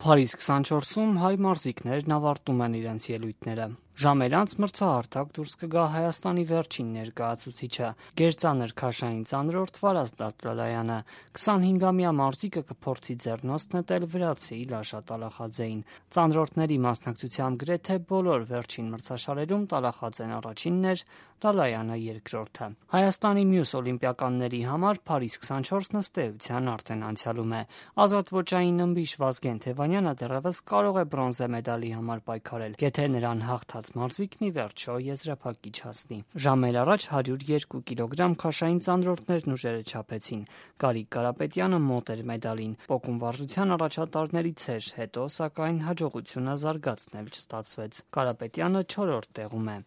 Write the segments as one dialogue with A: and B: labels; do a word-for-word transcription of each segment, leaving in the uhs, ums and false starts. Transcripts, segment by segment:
A: Փարիզ քսանչորսում հայ մարզիկներն ավարտում են իրենց ելույթները։ Ժամեր անց մրցահարթակ դուրս կգա Հայաստանի վերջին ներկայացուցիչը՝ գերծանր քաշային ծանրորդ Վարազդատ Լալայանը։ քսանհինգամյա մարզիկը կփորձի ձեռնոց նետել վրացի Լաշա Տալախաձեին։ Ծանրորդների մասնակցությամբ գրեթե բոլոր վերջին մրցաշարերում Տալախաձեն առաջինն էր, Լալայանը երկրորդը։ Հայաստանի մյուս օլիմպիականների համար Փարիզ քսանչորսն ըստ էության արդեն անցյալում է։ Ազատ ոճային ըմբիշ Վազգեն Թևանյանը դեռևս կարող է բրոնզե մեդալի համար պայքարել, եթե նրան հաղթած մարզիկն ի վերջո եզրափակիչ հասնի։ Ժամեր առաջ հարյուր երկու կիլոգրամ քաշային ծանրորդներն ուժերը չափեցին։ Գարիկ Կարապետյանը մոտ էր մեդալին։ Պոկում վարժության առաջատարներից էր, հետո սակայն հաջողությունը զարգացնել չստացվեց։ Կարապետյանը չորրորդ տեղում է։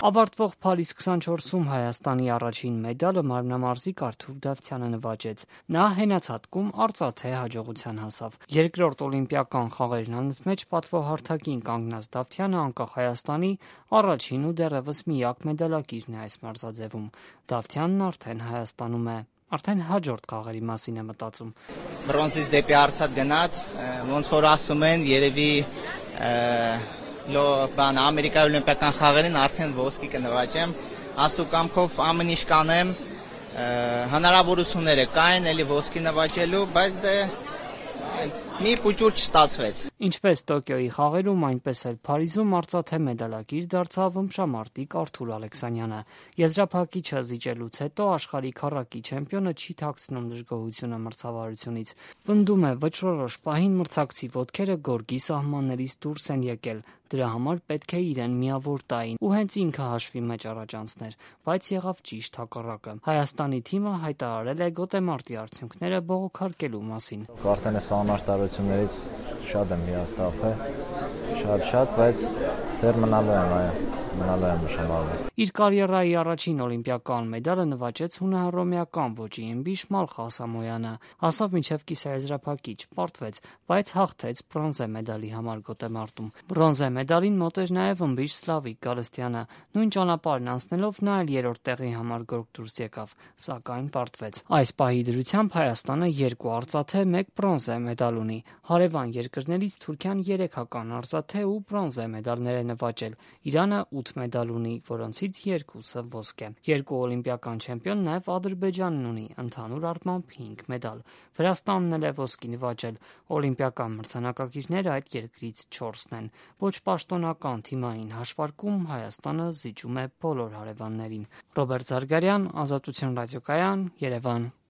A: Ավարտվող Փարիզ քսանչորսում Հայաստանի առաջին մեդալը մարմնամարզիկ Արթուր Դավթյանը նվաճեց։ Նա հենացատկում արծաթե հաջողության հասավ։ Երկրորդ օլիմպիական խաղերն անընդմեջ պատվոհարթակին կանգնած Դավթյանը անկախ Հայաստանի առաջին ու դեռևս միակ մեդալակիրն է այս մարզաձևում։ Դավթյանն արդեն Հայաստանում է։ Արդեն հաջորդ խաղերի մասին է մտածում։
B: Բրոնզից դեպի արծաթ գնաց, ոնց որ ասում են, երևի լո բան Ամերիկայի օլիմպիական խաղերին արդեն ոսկի կնվաճեմ, ասու կամքով ամեն ինչ կանեմ, հնարավորությունները կային էլի ոսկի նվաճելու, բայց դե մի փուճուր չստացվեց։
A: Ինչպես Տոկիոյի խաղերում, այնպես էլ Փարիզում արծաթե մեդալակիր դարձավ ըմբշամարտիկ Արթուր Ալեքսանյանը։ Եզրափակիչը զիջելուց հետո աշխարհի քառակի չեմպիոնը չի թաքցնում դժգոհությունը մրցավարությունից։ Պնդում է, վճռորոշ պահին մրցակցի ոտքերը գորգի սահմաններից դուրս են եկել։ Դրա համար պետք է իրեն միավոր տային ու հենց ինքը հաշվի մեջ առաջ անցներ, բայց եղավ ճիշտ հակառակը։ Հայաստանի թիմը հայտարարել է գոտեմարտի արդյունքները բողոքարկելու մասին։
C: Արդեն այս անարտարություններից շատ եմ հիասթափվել, շատ-շատ, բայց դեռ մնալու եմ, այո, մնալու եմ նշանալու։
A: Իր կարիերայի առաջին օլիմպիական մեդալը նվաճեց հունահռոմեական ոճի ըմբիշ Մալխա Սամոյանը։ Հասավ մինչև կիսաեզրափակիչ, պարտվեց, բայց հաղթեց բրոնզե մեդալի համար գոտեմարտում։ Բրոնզե մեդալին մոտ էր նաև ըմբիշ Սլավիկ Գալստյանը։ Նույն ճանապարհն անցնելով նա էլ երրորդ տեղի համար գորգ դուրս եկավ, սակայն պարտվեց։ Այս պահի դրությամբ Հայաստանը երկու արծաթե, մեկ բրոնզե մեդալ ունի։ Հարևան երկրներից Թուրքիան երեք հական արծաթե ու բրոնզե մեդալներ է նվաճել։ Իրանը ութ մեդալ ունի, որոնցից երկուսը ոսկե։ Երկու օլիմպիական չեմպիոն նաև Ադրբեջանն ունի, ընդհանուր առմամբ հինգ մեդալ։ Վրաստանն էլ է ոսկի նվաճել։ Օլիմպիական մրցանակակիրները այդ երկրից չորսն են։ Ոչ պաշտոնական թիմային հաշվարկում Հայաստանը զիջում է բոլոր հարևաններին։ Ռոբերտ Զարգարյան, Ազատություն ռադիոկայան, Երևան։